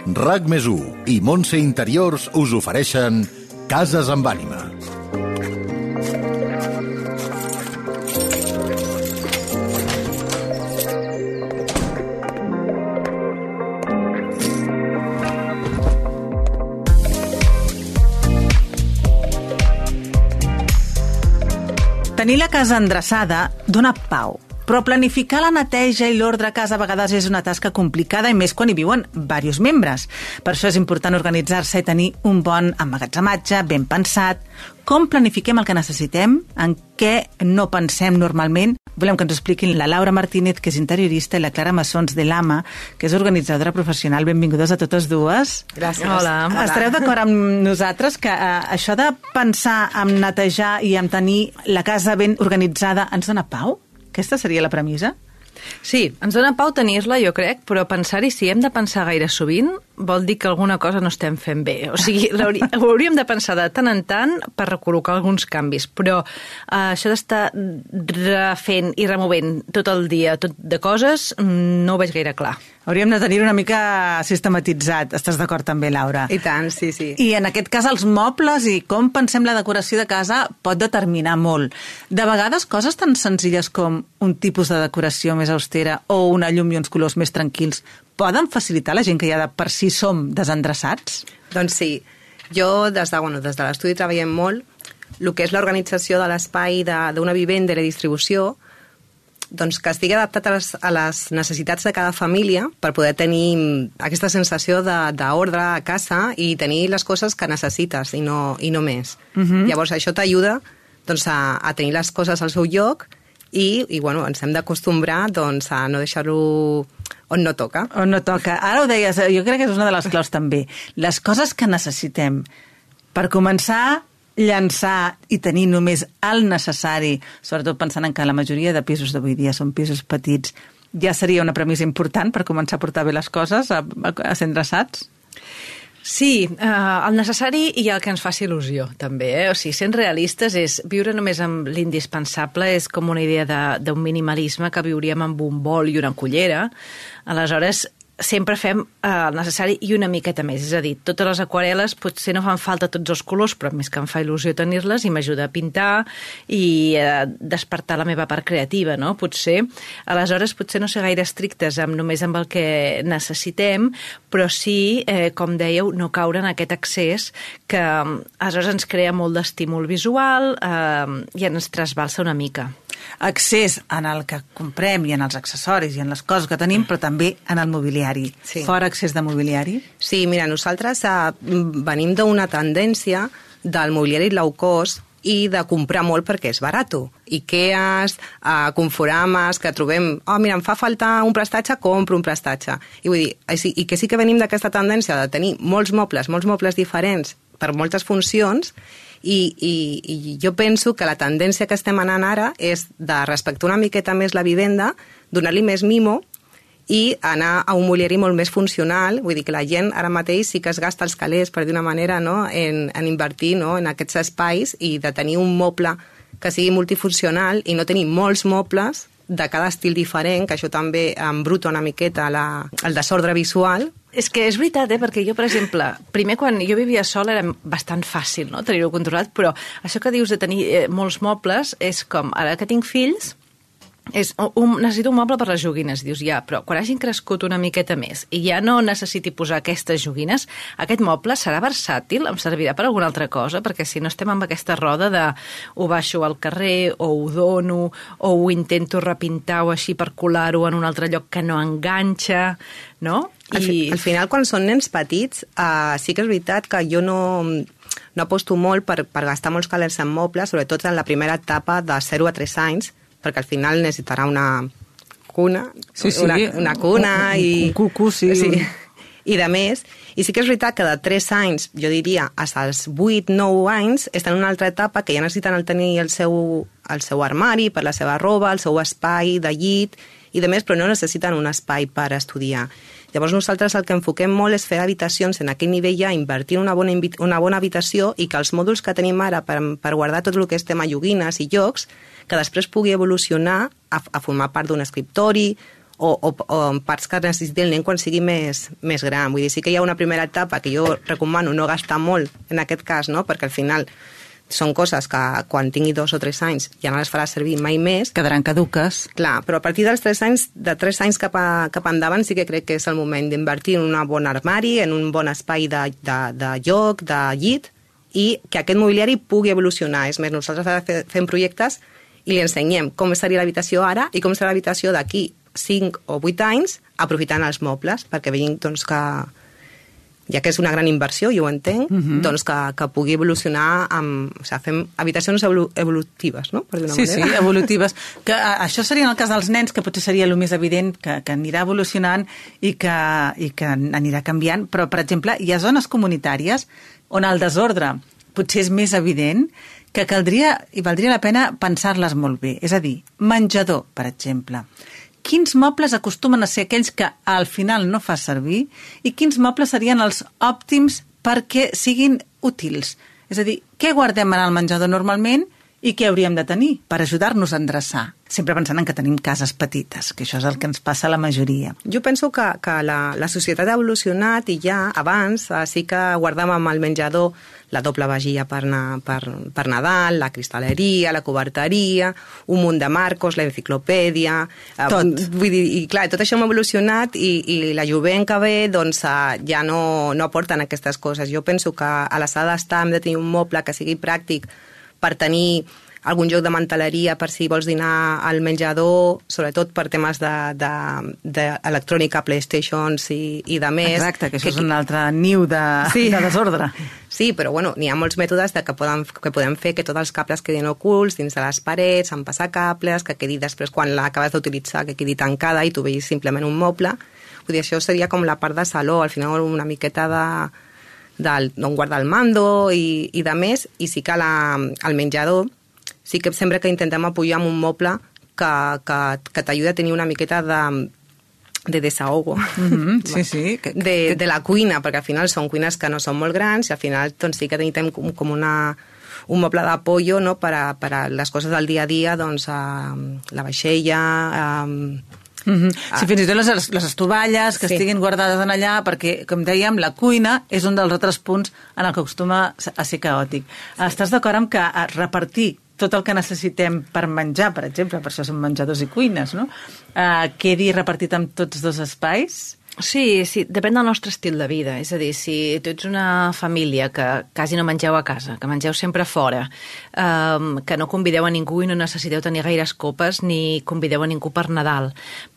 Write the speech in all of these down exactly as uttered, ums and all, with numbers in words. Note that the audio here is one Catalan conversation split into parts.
RAC més u i Montse Interiors us ofereixen Cases amb ànima. Tenir la casa endreçada dona pau, però planificar la neteja i l'ordre a casa a vegades és una tasca complicada i més quan hi viuen diversos membres. Per això és important organitzar-se i tenir un bon emmagatzematge ben pensat. Com planifiquem el que necessitem? En què no pensem normalment? Volem que ens expliquin la Laura Martínez, que és interiorista, i la Clara Massons de l'Ama, que és organitzadora professional. Benvingudes a totes dues. Gràcies. Hola. Estareu d'acord amb nosaltres que eh, això de pensar en netejar i en tenir la casa ben organitzada ens dona pau? Aquesta seria la premissa? Sí, ens dona pau tenir-la, jo crec, però pensar-hi, si hem de pensar gaire sovint, vol dir que alguna cosa no estem fent bé. O sigui, ho hauríem de pensar de tant en tant per recol·locar alguns canvis, però eh, això d'estar refent i removent tot el dia tot de coses no ho veig gaire clar. Hauríem de tenir una mica sistematitzat. Estàs d'acord també, Laura? I tant, sí, sí. I en aquest cas els mobles i com pensem la decoració de casa pot determinar molt. De vegades coses tan senzilles com un tipus de decoració més austera o una llum i uns colors més tranquils poden facilitar la gent que ja de per si som desendreçats? Doncs sí. Jo des de, bueno, des de l'estudi treballem molt el que és l'organització de l'espai d'una vivenda i la distribució, doncs que estigui adaptat a les, a les necessitats de cada família per poder tenir aquesta sensació d'ordre a casa i tenir les coses que necessites i no, i no més. Uh-huh. Llavors això t'ajuda doncs, a, a tenir les coses al seu lloc i, i bueno, ens hem d'acostumbrar doncs, a no deixar-ho on no toca. On no toca. Ara ho deies, jo crec que és una de les claus també. Les coses que necessitem. Per començar, llançar i tenir només el necessari, sobretot pensant en que la majoria de pisos d'avui dia són pisos petits, ja seria una premissa important per començar a portar bé les coses, a, a, a ser endreçats? Sí, eh, el necessari i el que ens faci il·lusió, també. Eh? O sigui, sent realistes, és viure només amb l'indispensable és com una idea d'un minimalisme que viuríem amb un bol i una cullera. Aleshores, sempre fem eh, el necessari i una miqueta més. És a dir, totes les aquarel·les potser no fan falta tots els colors, però més que em fa il·lusió tenir-les i m'ajuda a pintar i eh, despertar la meva part creativa, no? Potser. Aleshores, potser no ser gaire estrictes amb, només amb el que necessitem, però sí, eh, com dèieu, no caure en aquest excés que eh, aleshores ens crea molt d'estímul visual eh, i ens trasbalsa una mica. Accés en el que comprem i en els accessoris i en les coses que tenim, però també en el mobiliari. Sí. Fora accés de mobiliari? Sí, mira, nosaltres eh, venim d'una tendència del mobiliari low cost i de comprar molt perquè és barat. Ikeas, eh, Conforamas, que trobem, oh, mira, em fa falta un prestatge, compro un prestatge. I vull dir, i que sí que venim d'aquesta tendència de tenir molts mobles, molts mobles diferents per moltes funcions. I, i, i jo penso que la tendència que estem anant ara és de respectar una miqueta més la vivenda, donar-li més mimo i anar a un mobiliari molt més funcional. Vull dir que la gent ara mateix sí que es gasta els calés, per dir una manera, no? en, en invertir, no? en aquests espais i de tenir un moble que sigui multifuncional i no tenir molts mobles de cada estil diferent, que això també embruta una miqueta la, el desordre visual. És que és veritat, eh? Perquè jo, per exemple, primer quan jo vivia sola era bastant fàcil, no?, tenir-ho controlat, però això que dius de tenir eh, molts mobles és com, ara que tinc fills, és un, necessito un moble per les joguines, dius, ja, però quan hagin crescut una miqueta més i ja no necessiti posar aquestes joguines, aquest moble serà versàtil, em servirà per alguna altra cosa, perquè si no estem amb aquesta roda de ho baixo al carrer, o ho dono, o ho intento repintar o així per colar-ho en un altre lloc que no enganxa, no? I... Al, fi, al final, quan són nens petits, uh, sí que és veritat que jo no... no aposto molt per, per gastar molts calés en mobles, sobretot en la primera etapa de zero a tres anys, perquè al final necessitarà una cuna, sí, sí. Una, una cuna un, un, i... Un cucu, sí. sí. I de més, i sí que és veritat que de tres anys, jo diria, fins als vuit nou anys, estan en una altra etapa que ja necessiten el tenir el seu, el seu armari per la seva roba, el seu espai de llit i de més, però no necessiten un espai per estudiar. Llavors nosaltres el que enfoquem molt és fer habitacions en aquell nivell ja, invertir en una bona, una bona habitació i que els mòduls que tenim ara per, per guardar tot el que és tema joguines i jocs, que després pugui evolucionar a, a formar part d'un escriptori o, o, o parts que necessiti el nen quan sigui més, més gran. Vull dir, sí que hi ha una primera etapa que jo recomano no gastar molt en aquest cas, no? Perquè al final són coses que quan tingui dos o tres anys ja no les farà servir mai més. Quedaran caduques. Clar, però a partir dels tres anys, de tres anys cap, a, cap endavant sí que crec que és el moment d'invertir en un bon armari, en un bon espai de, de, de lloc, de llit, i que aquest mobiliari pugui evolucionar. És més, nosaltres fem projectes i li ensenyem com seria l'habitació ara i com serà l'habitació d'aquí cinc o vuit anys, aprofitant els mobles, perquè veiem doncs, que, ja que és una gran inversió, jo ho entenc, uh-huh. doncs que, que pugui evolucionar amb... O sigui, fem habitacions evolu evolutives, no? Per dir una sí, manera. sí, evolutives. Que, a, això seria en el cas dels nens, que potser seria el més evident, que, que anirà evolucionant i que, i que anirà canviant, però, per exemple, hi ha zones comunitàries on el desordre potser és més evident, que caldria i valdria la pena pensar-les molt bé. És a dir, menjador, per exemple. Quins mobles acostumen a ser aquells que al final no fa servir i quins mobles serien els òptims perquè siguin útils? És a dir, què guardem en el menjador normalment i què hauríem de tenir per ajudar-nos a endreçar? Sempre pensant en que tenim cases petites, que això és el que ens passa a la majoria. Jo penso que, que la, la societat ha evolucionat i ja abans sí que guardàvem al menjador la doble vajilla per, na, per, per Nadal, la cristalleria, la coberteria, un munt de marcos, la enciclopèdia... Tot. Eh, vull dir, i clar, tot això hem evolucionat i, i la jovent que ve doncs, ja no, no aporten aquestes coses. Jo penso que a la sala d'estar hem de tenir un moble que sigui pràctic per tenir algun joc de manteleria per si vols dinar al menjador, sobretot per temes d'electrònica, de, de PlayStations i, i de més. Exacte, que això que, és un altre niu de, sí. de desordre. Sí, però bueno, n'hi ha molts mètodes de que, poden, que podem fer que tots els cables quedin ocults dins de les parets, amb passacables, que quedi després, quan l'acabes d'utilitzar, que quedi tancada i tu veus simplement un moble. Vull dir, això seria com la part de saló, al final una miqueta de d'on guarda el mando i, i de més, i sí que la, al menjador sí que sempre que intentem apoyar amb un moble que, que, que t'ajuda a tenir una miqueta de, de desahogo. Mm-hmm, sí, sí. Que, de, que... de la cuina, perquè al final són cuines que no són molt grans i al final doncs, sí que tenim com, com una, un moble d'apoyo, no? per, a, per a les coses del dia a dia, doncs, a, la vaixella... A, Mm-hmm. Ah. Sí, fins i tot les, les estovalles que sí. estiguin guardades en allà, perquè, com dèiem, la cuina és un dels altres punts en el que acostuma a ser caòtic. Sí. Estàs d'acord amb que repartir tot el que necessitem per menjar, per exemple, per això són menjadors i cuines, no? Uh, quedi repartit en tots dos espais? Sí, sí, depèn del nostre estil de vida. És a dir, si tu ets una família que quasi no mengeu a casa, que mengeu sempre fora, um, que no convideu a ningú i no necessiteu tenir gaires copes ni convideu a ningú per Nadal,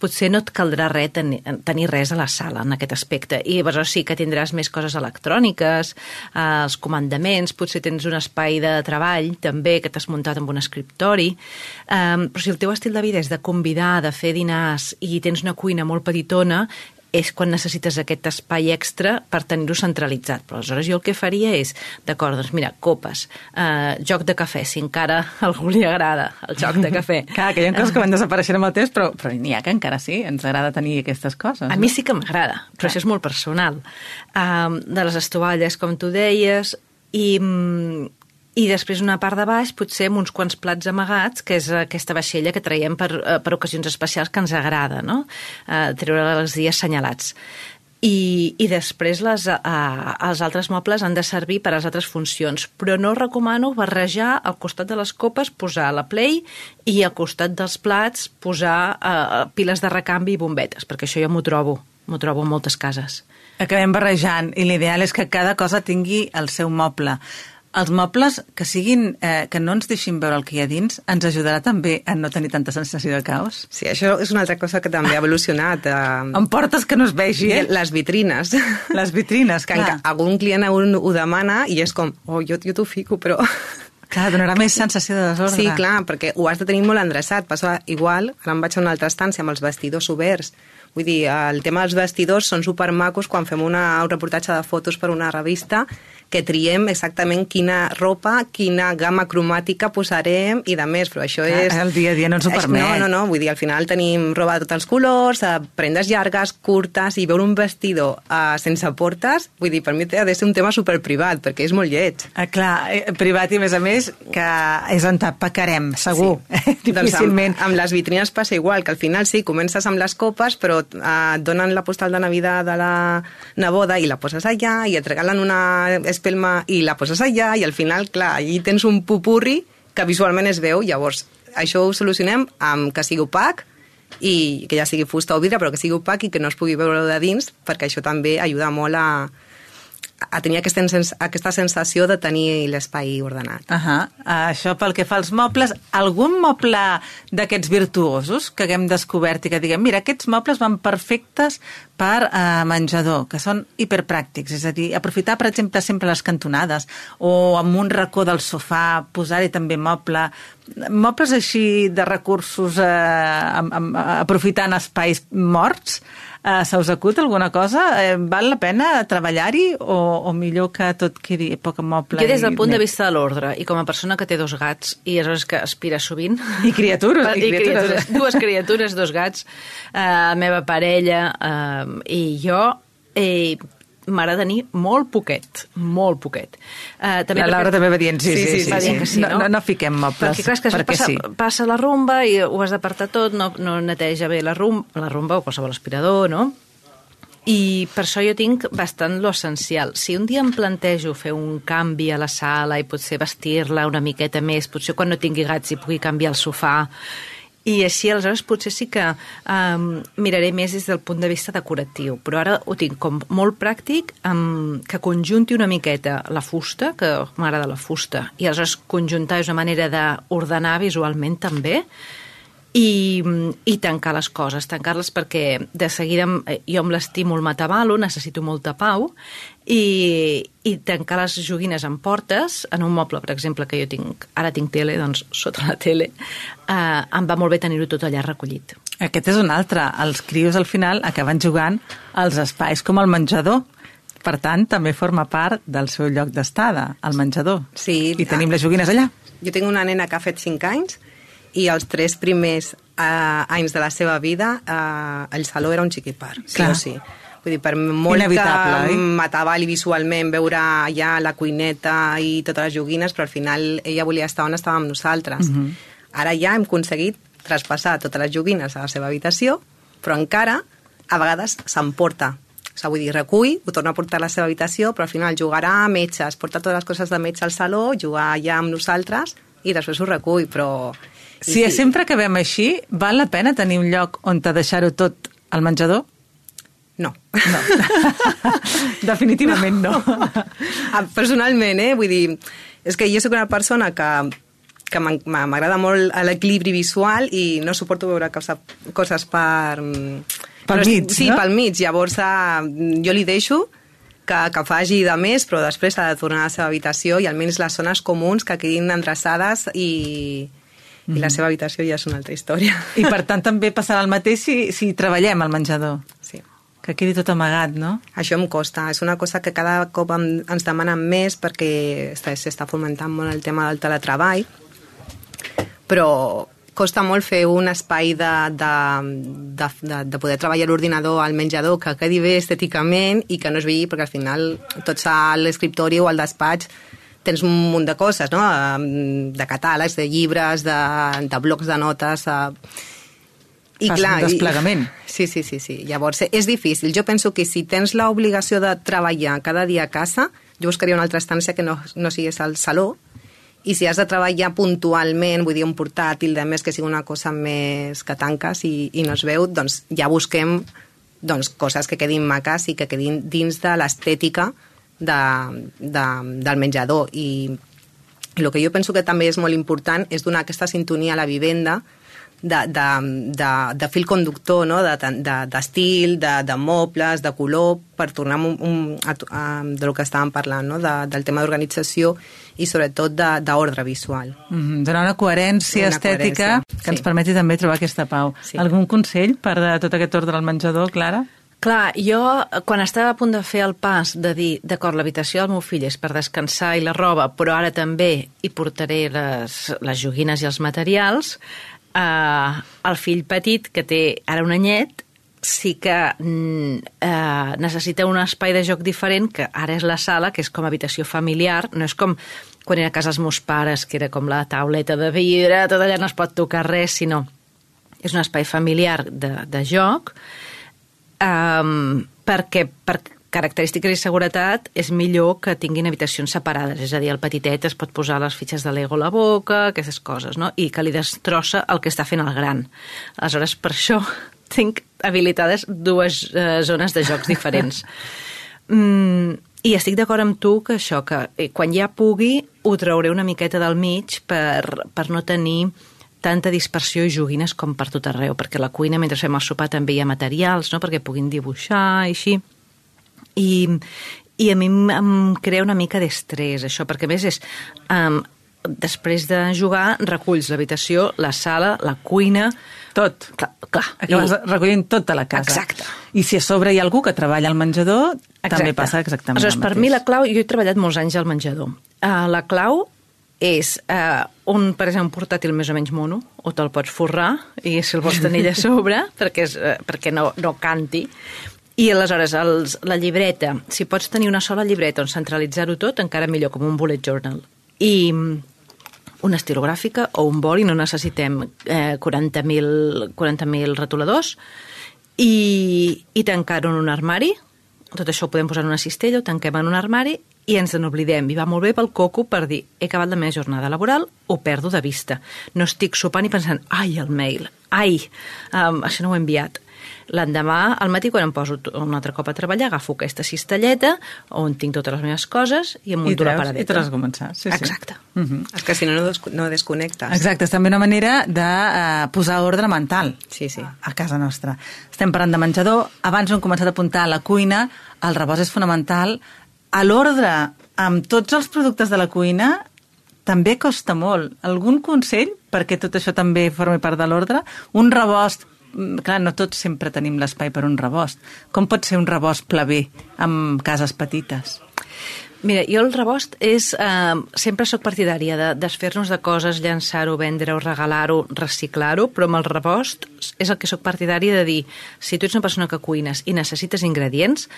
potser no et caldrà res tenir, tenir res a la sala en aquest aspecte. I llavors sí que tindràs més coses electròniques, uh, els comandaments, potser tens un espai de treball també que t'has muntat amb un escriptori, um, però si el teu estil de vida és de convidar, de fer dinars i tens una cuina molt petitona, és quan necessites aquest espai extra per tenir-ho centralitzat. Però aleshores jo el que faria és, d'acord, doncs mira, copes, eh, joc de cafè, si encara a algú li agrada el joc de cafè. Clar, que hi ha coses que van desapareixent amb el temps, però, però n'hi ha que encara sí, ens agrada tenir aquestes coses. A no? mi sí que m'agrada, però Clar. això és molt personal. Um, de les estovalles, com tu deies, i... I després una part de baix, potser amb uns quants plats amagats, que és aquesta vaixella que traiem per, per ocasions especials que ens agrada, no? Uh, treure els dies assenyalats. I, i després les, uh, els altres mobles han de servir per a les altres funcions, però no recomano barrejar al costat de les copes, posar la Play i al costat dels plats posar uh, piles de recanvi i bombetes, perquè això jo m'ho trobo, m'ho trobo en moltes cases. Acabem barrejant i l'ideal és que cada cosa tingui el seu moble. Els mobles que siguin, eh, que no ens deixin veure el que hi ha dins, ens ajudarà també a no tenir tanta sensació de caos? Sí, això és una altra cosa que també ha evolucionat. Eh... Amb portes que no es vegi, eh? Les vitrines. Les vitrines, que clar. Algun client ho demana i és com, oh, jo, jo t'ho fico, però... Clar, donarà més sensació de desordre. Sí, clar, perquè ho has de tenir molt endreçat. Passa igual, ara em vaig a una altra estància amb els vestidors oberts. Vull dir, el tema dels vestidors són supermacos quan fem una, un reportatge de fotos per una revista, que triem exactament quina ropa, quina gamma cromàtica posarem i de més, però això és... El dia a dia no ens ho permet. No, no, no, vull dir, al final tenim roba de tots els colors, prendes llargues, curtes, i veure un vestidor uh, sense portes, vull dir, per mi ha de ser un tema superprivat, perquè és molt lleig. Ah, clar, privat i, a més a més, que és on pecarem, segur. Sí. Difícilment. Doncs amb, amb les vitrines passa igual, que al final sí, comences amb les copes, però uh, et donen la postal de Navidad de la neboda i la poses allà, i et regalen una espelma i la poses allà, i al final, clar, allí tens un pupurri que visualment es veu. Llavors, això ho solucionem amb que sigui opac, i que ja sigui fusta o vidre, però que sigui opac i que no es pugui veure de dins, perquè això també ajuda molt a, a tenir aquesta, aquesta sensació de tenir l'espai ordenat. Uh -huh. Això pel que fa als mobles. Algun moble d'aquests virtuosos que haguem descobert i que diguem, mira, aquests mobles van perfectes per uh, menjador, que són hiperpràctics, és a dir, aprofitar, per exemple, sempre les cantonades, o amb un racó del sofà, posar-hi també moble, mobles així de recursos, eh, amb, amb, aprofitant espais morts. Uh, se us acut alguna cosa? Eh, val la pena treballar-hi o, o millor que tot quedi poc moble? Jo des del punt i... de vista de l'ordre, i com a persona que té dos gats, i aleshores que aspira sovint... I criatures. I, I criatures. criatures. Dues criatures, dos gats, eh, la meva parella eh, i jo... Eh, m'agrada tenir molt poquet, molt poquet. Uh, també la Laura perquè... també va dient sí, sí, sí, sí, va sí. dient que sí, no? No, no fiquem mobles, perquè, clar, és que perquè passa, sí. passa la rumba i ho has d'apartar tot, no, no neteja bé la rumba, la rumba o qualsevol aspirador, no? I per això jo tinc bastant lo essencial. Si un dia em plantejo fer un canvi a la sala i potser vestir-la una miqueta més, potser quan no tingui gats hi pugui canviar el sofà, i així, aleshores, potser sí que um, miraré més des del punt de vista decoratiu. Però ara ho tinc com molt pràctic, um, que conjunti una miqueta la fusta, que m'agrada la fusta, i aleshores conjuntar és una manera d'ordenar visualment també, i, i tancar les coses, tancar-les perquè de seguida jo amb l'estímul m'atabalo, necessito molta pau, i, i tancar les joguines en portes, en un moble, per exemple, que jo tinc, ara tinc tele, doncs sota la tele, eh, em va molt bé tenir-ho tot allà recollit. Aquest és un altre. Els crios al final acaben jugant als espais com el menjador. Per tant, també forma part del seu lloc d'estada, el menjador. Sí. I tenim les joguines allà. Jo tinc una nena que ha fet cinc anys i els tres primers eh, anys de la seva vida eh, el saló era un xiquipar, sí o sí. Vull dir, per molt inevitable, que eh? m'atabali visualment veure allà la cuineta i totes les joguines, però al final ella volia estar on estava amb nosaltres. Uh-huh. Ara ja hem aconseguit traspassar totes les joguines a la seva habitació, però encara a vegades s'emporta. O sigui, vull dir, recull, ho torna a portar a la seva habitació, però al final jugarà a metges, porta totes les coses de metge al saló, jugar allà amb nosaltres i després ho recull, però... Si sí, sempre que acabem així, val la pena tenir un lloc on te deixar-ho tot al menjador? No. No. Definitivament no. no. Personalment, eh? Vull dir, és que jo soc una persona que, que m'agrada molt l'equilibri visual i no suporto veure coses, coses per... Pel mig, sí, no? pel mig. Llavors, jo li deixo que, que faci de més, però després ha de tornar a la seva habitació i almenys les zones comuns que quedin endreçades i... i la seva habitació ja és una altra història. I per tant també passarà el mateix si, si treballem al menjador. Sí. Que quedi tot amagat, no? Això em costa. És una cosa que cada cop em, ens demanen més perquè s'està fomentant molt el tema del teletreball, però costa molt fer un espai de, de, de, de, de poder treballar a l'ordinador al menjador que quedi bé estèticament i que no es vegi, perquè al final tots a l'escriptori o al despatx tens un munt de coses, no? De catàlegs, de llibres, de, de blocs de notes... I Fas clar, un desplegament. I, sí, sí, sí, sí. Llavors, és difícil. Jo penso que si tens l'obligació de treballar cada dia a casa, jo buscaria una altra estància que no, no sigués al saló, i si has de treballar puntualment, vull dir, un portàtil, de més que sigui una cosa més que tanques i, i no es veu, doncs ja busquem doncs, coses que quedin maques i que quedin dins de l'estètica de, de, del menjador. I, i el que jo penso que també és molt important és donar aquesta sintonia a la vivenda de, de, de, de fil conductor, no? d'estil, de, de, de, de mobles, de color, per tornar un, un, a, a, de lo que estàvem parlant, no? de, del tema d'organització i sobretot d'ordre visual. Mm, donar una coherència una estètica coherència, que ens sí. permeti també trobar aquesta pau. Sí. Algun consell per de tot aquest ordre al menjador, Clara? Clar, jo, quan estava a punt de fer el pas de dir, d'acord, l'habitació del meu fill és per descansar i la roba, però ara també hi portaré les, les joguines i els materials, eh, el fill petit, que té ara un anyet, sí que eh, necessita un espai de joc diferent, que ara és la sala, que és com habitació familiar, no és com quan era a casa els meus pares, que era com la tauleta de vidre, tot allà no es pot tocar res, sinó és un espai familiar de, de joc, Um, perquè per característiques i seguretat és millor que tinguin habitacions separades, és a dir, el petitet es pot posar les fitxes de Lego a la boca, aquestes coses, no? I que li destrossa el que està fent el gran. Aleshores, per això tinc habilitades dues uh, zones de jocs diferents. Mm, I estic d'acord amb tu que això, que quan ja pugui ho trauré una miqueta del mig per, per no tenir tanta dispersió i joguines com per tot arreu, perquè a la cuina, mentre fem el sopar, també hi ha materials, no?, perquè puguin dibuixar i així. I, i a mi em crea una mica d'estrès, això, perquè a més és... Um, després de jugar, reculls l'habitació, la sala, la cuina... Tot. Clar, clar. Acabes I... recollint tota la casa. Exacte. I si a sobre hi ha algú que treballa al menjador, exacte. també passa exactament Aleshores, el mateix. Per mi la clau... Jo he treballat molts anys al menjador. Uh, la clau és uh, un, per exemple, un portàtil més o menys mono, o te'l pots forrar, i si el vols tenir allà a sobre, perquè, és, uh, perquè no, no canti. I aleshores, els, la llibreta, si pots tenir una sola llibreta on centralitzar-ho tot, encara millor, com un bullet journal. I una estilogràfica o un boli, no necessitem eh, quaranta mil retoladors, i, i tancar-ho en un armari. Tot això ho podem posar en una cistella, ho tanquem en un armari i ens n'oblidem. I va molt bé pel coco per dir, he acabat la meva jornada laboral, ho perdo de vista. No estic sopant i pensant, ai, el mail, ai, um, això no ho he enviat. L'endemà, al matí, quan em poso un altre cop a treballar, agafo aquesta cistelleta on tinc totes les meves coses i em munto la paradeta. I treus a començar. Sí, Exacte. Sí. Uh-huh. És que si no, no, no desconnectes. Exacte, és també una manera de uh, posar ordre mental sí, sí. a casa nostra. Estem parlant de menjador, abans ho hem començat a apuntar a la cuina, el rebost és fonamental. A l'ordre, amb tots els productes de la cuina, també costa molt. Algun consell perquè tot això també formi part de l'ordre? Un rebost, clar, no tots sempre tenim l'espai per un rebost. Com pot ser un rebost plaver amb cases petites? Mira, jo el rebost és... Eh, sempre sóc partidària de desfer-nos de coses, llançar-ho, vendre-ho, regalar-ho, reciclar-ho, però amb el rebost és el que sóc partidària de dir, si tu ets una persona que cuines i necessites ingredients,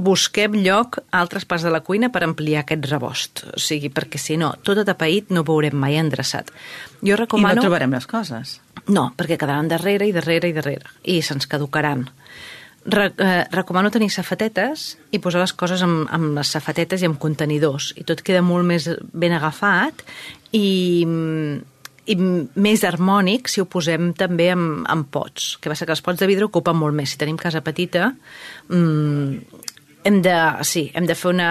busquem lloc a altres parts de la cuina per ampliar aquest rebost. O sigui, perquè si no, tot atapeït no ho veurem mai endreçat. Jo recomano... I no trobarem les coses. No, perquè quedaran darrere i darrere i darrere. I se'ns caducaran. Re eh, recomano tenir safatetes i posar les coses amb, amb les safatetes i amb contenidors. I tot queda molt més ben agafat i... i més harmònic si ho posem també en, en pots. Que passa que els pots de vidre ocupen molt més. Si tenim casa petita, mmm, hem de, sí, hem de fer una,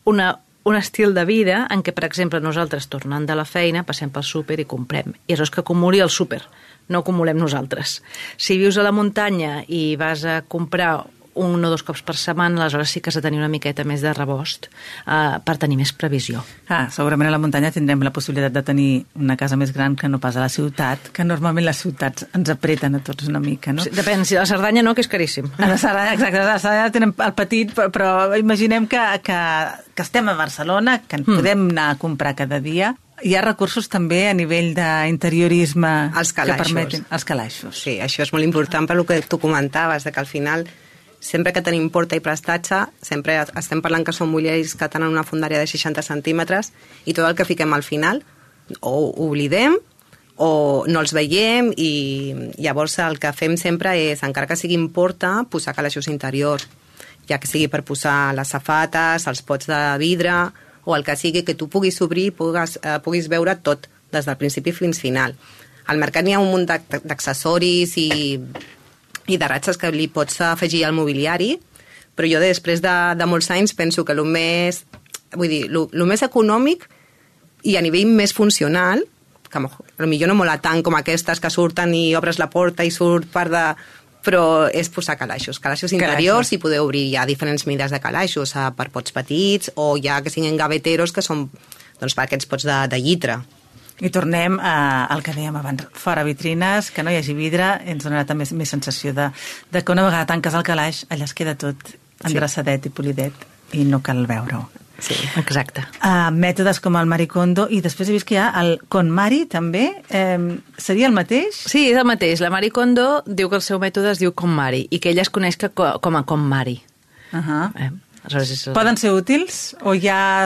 una, un estil de vida en què, per exemple, nosaltres, tornant de la feina, passem pel súper i comprem. I això és que acumuli el súper, no acumulem nosaltres. Si vius a la muntanya i vas a comprar un o dos cops per setmana, aleshores sí que has de tenir una miqueta més de rebost uh, per tenir més previsió. Ah, segurament a la muntanya tindrem la possibilitat de tenir una casa més gran que no pas a la ciutat, que normalment les ciutats ens apreten a tots una mica, no? Sí, depèn, si a la Cerdanya no, que és caríssim. A la Cerdanya, exacte, a la Cerdanya tenen el petit, però, però imaginem que, que, que estem a Barcelona, que ens mm. podem anar a comprar cada dia. Hi ha recursos també a nivell d'interiorisme els que permeten... Els calaixos. Sí, això és molt important per lo que tu comentaves, de que al final... Sempre que tenim porta i prestatge, sempre estem parlant que són mobiliaris que tenen una fondària de seixanta centímetres i tot el que fiquem al final o oblidem o no els veiem i llavors el que fem sempre és, encara que sigui en porta, posar calaixos interiors, ja que sigui per posar les safates, els pots de vidre o el que sigui que tu puguis obrir i puguis, eh, puguis veure tot, des del principi fins final. Al mercat n'hi ha un munt d'accessoris i... i de ratxes que li pots afegir al mobiliari, però jo després de, de molts anys penso que el més, vull dir, el més econòmic i a nivell més funcional que potser no mola tant com aquestes que surten i obres la porta i surt part de... però és posar calaixos, calaixos interiors, i poder obrir ja diferents mides de calaixos, eh, per pots petits o ja que siguin gaveteros, que són doncs, per aquests pots de, de llitre. I tornem a, al que dèiem abans, fora vitrines, que no hi hagi vidre, ens donarà també més sensació de, de que una vegada tanques el calaix, allà es queda tot endreçadet i polidet i no cal veure-ho. Sí, exacte. Uh, mètodes com el Maricondo, i després he vist que hi ha el KonMari, també. Eh, seria el mateix? Sí, és el mateix. La Maricondo diu que el seu mètode es diu KonMari i que ella es coneix que com a KonMari. Uh -huh. eh? El... Poden ser útils? O ja,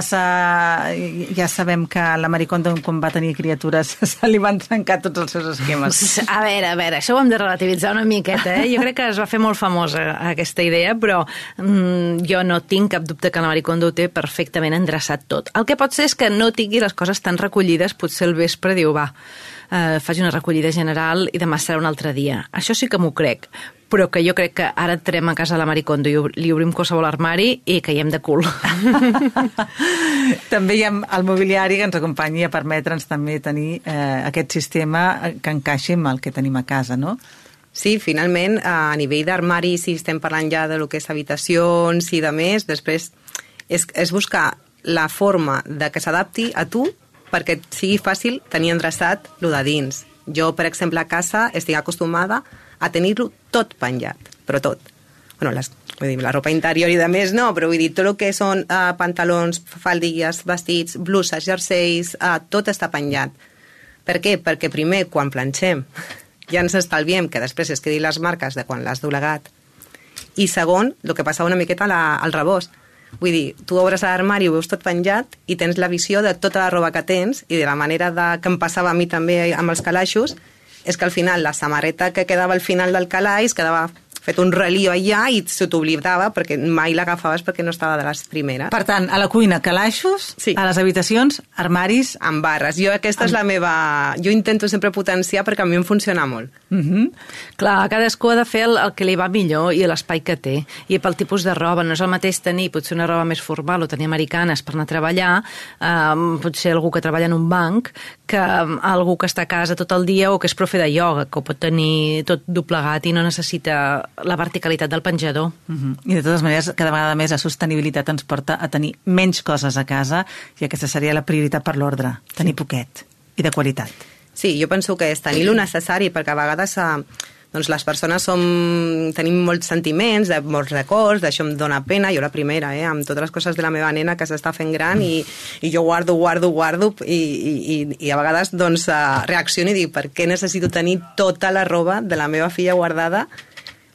ja sabem que la Maricondo, quan va tenir criatures, se li van trencar tots els seus esquemes? A veure, a veure, això ho hem de relativitzar una miqueta, eh? Jo crec que es va fer molt famosa aquesta idea, però mm, jo no tinc cap dubte que la Maricondo ho té perfectament endreçat tot. El que pot ser és que no tingui les coses tan recollides, potser al vespre diu, va, eh, faci una recollida general i demà serà un altre dia. Això sí que m'ho crec, però que jo crec que ara entrem a casa de la Maricondo i li obrim qualsevol armari i caiem de cul. També hi ha el mobiliari que ens acompanyi a permetre'ns també tenir eh, aquest sistema que encaixi amb el que tenim a casa, no? Sí, finalment, a nivell d'armari, si estem parlant ja de lo que és habitacions i de més, després és, és buscar la forma de que s'adapti a tu perquè sigui fàcil tenir endreçat lo de dins. Jo, per exemple, a casa estic acostumada a tenir-lo tot penjat, però tot. Bueno, les, vull dir, la ropa interior i de més no, però vull dir, tot el que són uh, pantalons, faldilles, vestits, bluses, jerseis, uh, tot està penjat. Per què? Perquè primer, quan planxem, ja ens estalviem que després es quedin les marques de quan l'has doblegat. I segon, el que passa una miqueta la, al rebost. Vull dir, tu obres l'armari, ho veus tot penjat i tens la visió de tota la roba que tens i de la manera de, que em passava a mi també amb els calaixos, és que al final la samarreta que quedava al final del calaix quedava fet un relio allà i se t'oblidava perquè mai l'agafaves perquè no estava de les primeres. Per tant, a la cuina, calaixos, sí. A les habitacions, armaris... Amb barres. Jo aquesta amb... és la meva... Jo intento sempre potenciar perquè a mi em funciona molt. Mm-hmm. Clar, cadascú ha de fer el, el que li va millor i l'espai que té. I pel tipus de roba. No és el mateix tenir potser una roba més formal o tenir americanes per anar a treballar, eh, potser algú que treballa en un banc, que algú que està a casa tot el dia o que és profe de ioga, que ho pot tenir tot doblegat i no necessita la verticalitat del penjador. Uh-huh. I de totes maneres, cada vegada més la sostenibilitat ens porta a tenir menys coses a casa i aquesta seria la prioritat per l'ordre, tenir sí. Poquet i de qualitat. Sí, jo penso que és tenir lo necessari perquè a vegades eh, doncs les persones som, tenim molts sentiments, de, molts records, d'això em dóna pena, jo la primera, eh, amb totes les coses de la meva nena que s'està fent gran i, i jo guardo, guardo, guardo i, i, i a vegades doncs, uh, reacciono i dic per què necessito tenir tota la roba de la meva filla guardada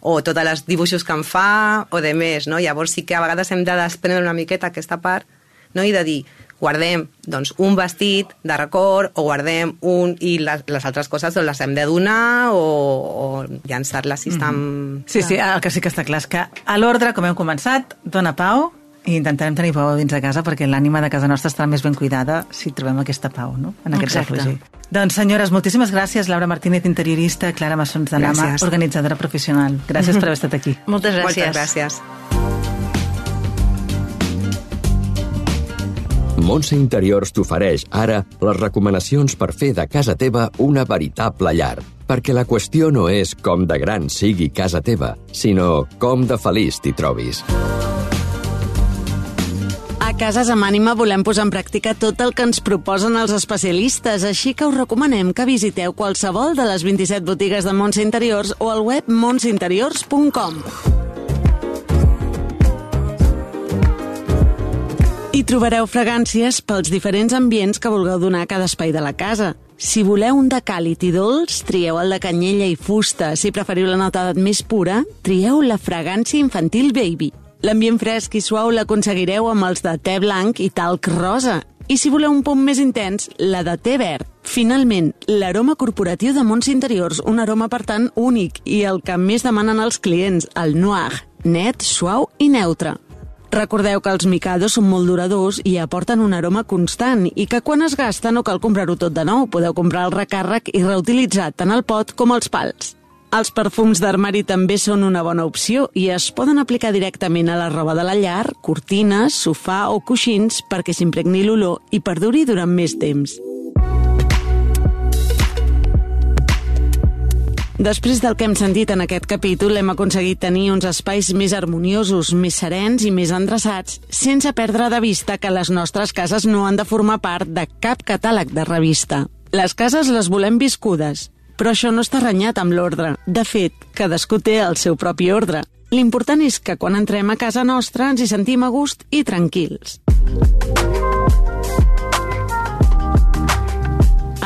o tots els dibuixos que em fa o de més, no? Llavors sí que a vegades hem de desprendre una miqueta aquesta part, no? I de dir, guardem doncs, un vestit de record o guardem un... i les, les altres coses doncs, les hem de donar o, o llançar-les si estan... Mm-hmm. Sí, sí, el que sí que està clar és que a l'ordre, com hem començat, dona pau i intentarem tenir pau dins de casa perquè l'ànima de casa nostra estarà més ben cuidada si trobem aquesta pau, no? En aquest refugi. Doncs, senyores, moltíssimes gràcies. Laura Martínez, interiorista, Clara Massons de Nama, organitzadora professional. Gràcies per haver estat aquí. Moltes gràcies. Moltes gràcies. Montse Interiors t'ofereix ara les recomanacions per fer de casa teva una veritable llar. Perquè la qüestió no és com de gran sigui casa teva, sinó com de feliç t'hi trobis. A Cases amb Ànima volem posar en pràctica tot el que ens proposen els especialistes, així que us recomanem que visiteu qualsevol de les vint-i-set botigues de Montse Interiors o al web montse interiors punt com. Hi trobareu fragàncies pels diferents ambients que vulgueu donar a cada espai de la casa. Si voleu un de càlid i dolç, trieu el de canyella i fusta. Si preferiu la nota més pura, trieu la fragància infantil Baby. L'ambient fresc i suau l'aconseguireu amb els de te blanc i talc rosa. I si voleu un punt més intens, la de te verd. Finalment, l'aroma corporatiu de Montse Interiors, un aroma per tant únic i el que més demanen els clients, el noir, net, suau i neutre. Recordeu que els micados són molt duradors i aporten un aroma constant i que quan es gasta no cal comprar-ho tot de nou, podeu comprar el recàrrec i reutilitzar tant el pot com els pals. Els perfums d'armari també són una bona opció i es poden aplicar directament a la roba de la llar, cortines, sofà o coixins perquè s'impregni l'olor i perduri durant més temps. Després del que hem sentit en aquest capítol, hem aconseguit tenir uns espais més harmoniosos, més serens i més endreçats, sense perdre de vista que les nostres cases no han de formar part de cap catàleg de revista. Les cases les volem viscudes, però això no està renyat amb l'ordre. De fet, cadascú té el seu propi ordre. L'important és que quan entrem a casa nostra ens hi sentim a gust i tranquils.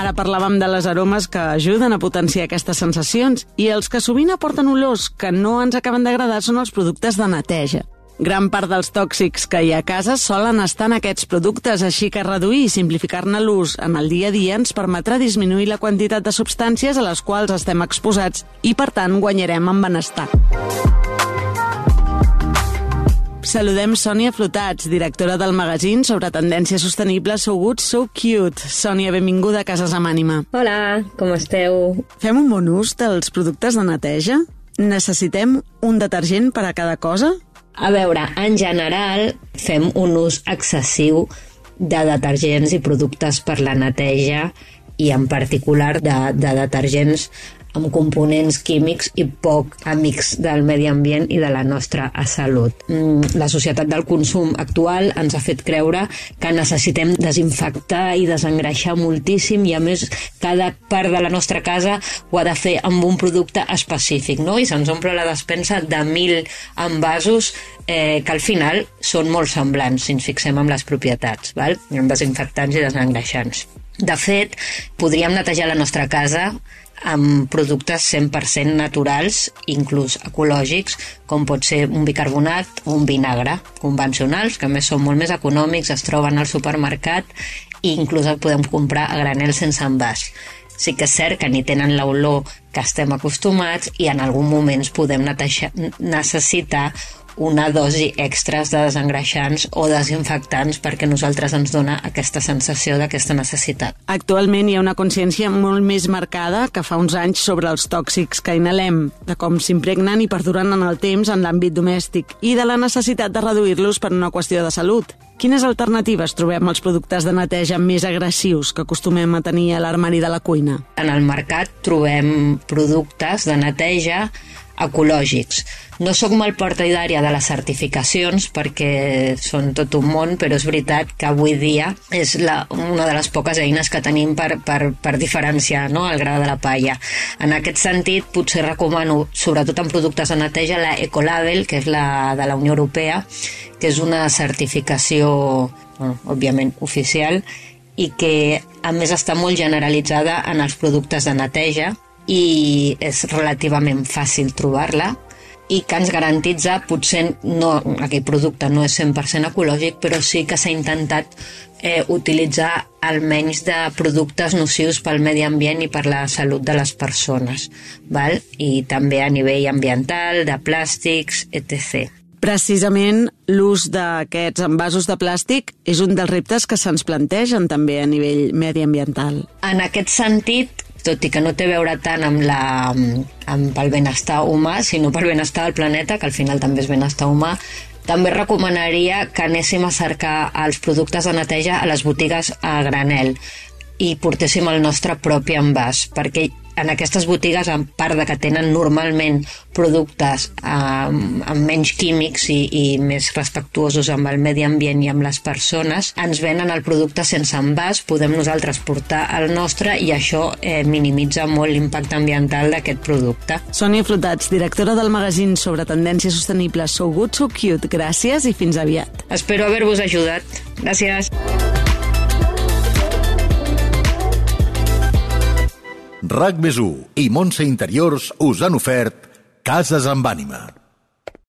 Ara parlàvem de les aromes que ajuden a potenciar aquestes sensacions i els que sovint aporten olors que no ens acaben d'agradar són els productes de neteja. Gran part dels tòxics que hi ha a casa solen estar en aquests productes, així que reduir i simplificar-ne l'ús en el dia a dia ens permetrà disminuir la quantitat de substàncies a les quals estem exposats i, per tant, guanyarem en benestar. Saludem Sònia Flotats, directora del magazín sobre tendències sostenibles So Good, So Cute. Sònia, benvinguda a Cases amb Ànima. Hola, com esteu? Fem un bon ús dels productes de neteja? Necessitem un detergent per a cada cosa? A veure, en general fem un ús excessiu de detergents i productes per la neteja i en particular de, de detergents amb components químics i poc amics del medi ambient i de la nostra salut. La societat del consum actual ens ha fet creure que necessitem desinfectar i desengreixar moltíssim i, a més, cada part de la nostra casa ho ha de fer amb un producte específic, no? I se'ns omple la despensa de mil envasos eh, que al final són molt semblants, si ens fixem en les propietats, val? Amb desinfectants i desengreixants. De fet, podríem netejar la nostra casa amb productes cent per cent naturals, inclús ecològics, com pot ser un bicarbonat o un vinagre convencionals, que a més són molt més econòmics, es troben al supermercat i inclús el podem comprar a granel sense envàs. Sí que és cert que ni tenen l'olor que estem acostumats i en algun moment podem netejar, necessitar una dosi extras de desengreixants o desinfectants perquè a nosaltres ens dona aquesta sensació d'aquesta necessitat. Actualment hi ha una consciència molt més marcada que fa uns anys sobre els tòxics que inhalem, de com s'impregnen i perduren en el temps en l'àmbit domèstic i de la necessitat de reduir-los per una qüestió de salut. Quines alternatives trobem als productes de neteja més agressius que acostumem a tenir a l'armari de la cuina? En el mercat trobem productes de neteja ecològics. No soc molt partidària de les certificacions perquè són tot un món, però és veritat que avui dia és la, una de les poques eines que tenim per, per, per diferenciar, no?, el gra de la palla. En aquest sentit, potser recomano, sobretot en productes de neteja, la Ecolabel, que és la de la Unió Europea, que és una certificació, bueno, òbviament, oficial, i que, a més, està molt generalitzada en els productes de neteja, i és relativament fàcil trobar-la i que ens garantitza, potser no, aquell producte no és cent per cent ecològic, però sí que s'ha intentat eh, utilitzar almenys de productes nocius pel medi ambient i per la salut de les persones, val? I també a nivell ambiental, de plàstics, etcètera. Precisament l'ús d'aquests envasos de plàstic és un dels reptes que se'ns plantegen també a nivell mediambiental. En aquest sentit, tot i que no té a veure tant amb, la, amb el benestar humà, sinó pel benestar del planeta, que al final també és benestar humà, també recomanaria que anéssim a cercar els productes de neteja a les botigues a granel i portéssim el nostre propi envàs, perquè en aquestes botigues, a part de que tenen normalment productes eh, amb menys químics i, i més respectuosos amb el medi ambient i amb les persones, ens venen el producte sense envàs, podem nosaltres portar el nostre i això eh, minimitza molt l'impacte ambiental d'aquest producte. Sònia Flotats, directora del magazín sobre tendències sostenibles So Good, So Cute. Gràcies i fins aviat. Espero haver-vos ajudat. Gràcies. RAC més u i Montse Interiors us han ofert Cases amb Ànima.